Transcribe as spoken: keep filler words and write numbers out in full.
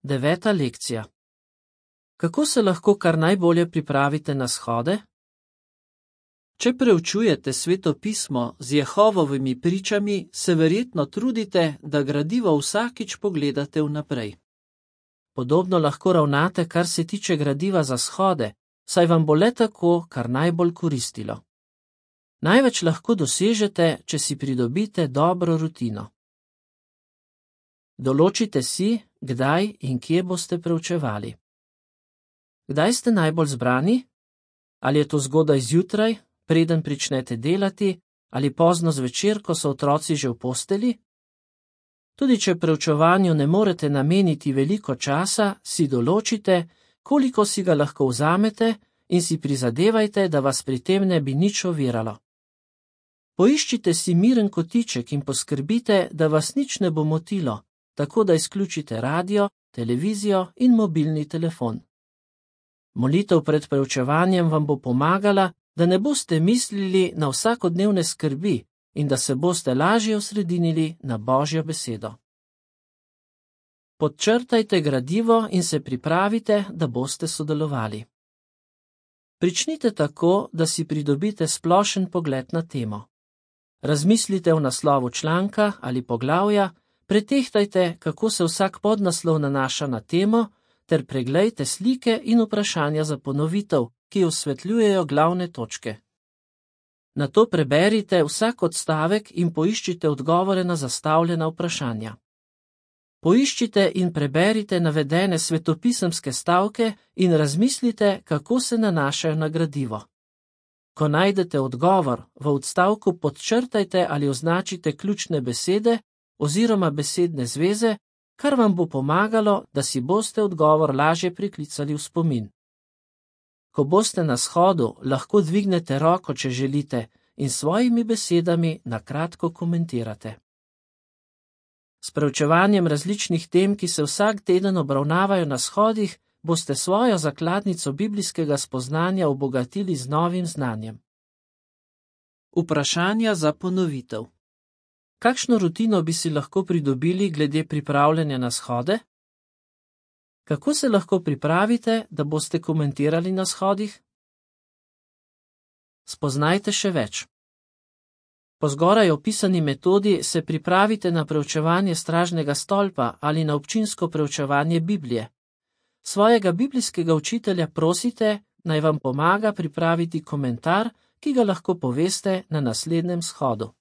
Deveta lekcija. Kako se lahko kar najbolje pripravite na shode? Če preučujete Sveto pismo z Jehovovimi pričami, se verjetno trudite, da gradivo vsakič pogledate vnaprej. Podobno lahko ravnate, kar se tiče gradiva za shode, saj vam bo le tako kar najbolj koristilo. Največ lahko dosežete, če si pridobite dobro rutino. Določite si, kdaj in kje boste preučevali. Kdaj ste najbolj zbrani? Ali je to zgodaj zjutraj, preden pričnete delati, ali pozno zvečer, ko so otroci že v posteli? Tudi če preučevanju ne morete nameniti veliko časa, si določite, koliko si ga lahko vzamete in si prizadevajte, da vas pri tem ne bi nič oviralo. Poiščite si miren kotiček in poskrbite, da vas nič ne bo motilo, tako da izključite radio, televizijo in mobilni telefon. Molitev pred preučevanjem vam bo pomagala, da ne boste mislili na vsakodnevne skrbi in da se boste lažje osredinili na Božjo besedo. Podčrtajte gradivo in se pripravite, da boste sodelovali. Pričnite tako, da si pridobite splošen pogled na temo. Razmislite o naslovu članka ali poglavja, pretehtajte, kako se vsak podnaslov nanaša na temo, ter preglejte slike in vprašanja za ponovitev, ki osvetljujejo glavne točke. Nato preberite vsak odstavek in poiščite odgovore na zastavljena vprašanja. Poiščite in preberite navedene svetopisemske stavke in razmislite, kako se nanašajo na gradivo. Ko najdete odgovor, v odstavku podčrtajte ali označite ključne besede oziroma besedne zveze, kar vam bo pomagalo, da si boste odgovor lažje priklicali v spomin. Ko boste na shodu, lahko dvignete roko, če želite, in s svojimi besedami na kratko komentirate. S preučevanjem različnih tem, ki se vsak teden obravnavajo na shodih, boste svojo zakladnico biblijskega spoznanja obogatili z novim znanjem. Vprašanja za ponovitev. Kakšno rutino bi si lahko pridobili glede pripravljanja na shode? Kako se lahko pripravite, da boste komentirali na shodih? Spoznajte še več. Po zgoraj opisani metodi se pripravite na preučevanje stražnega stolpa ali na občinsko preučevanje Biblije. Svojega biblijskega učitelja prosite, naj vam pomaga pripraviti komentar, ki ga lahko poveste na naslednjem shodu.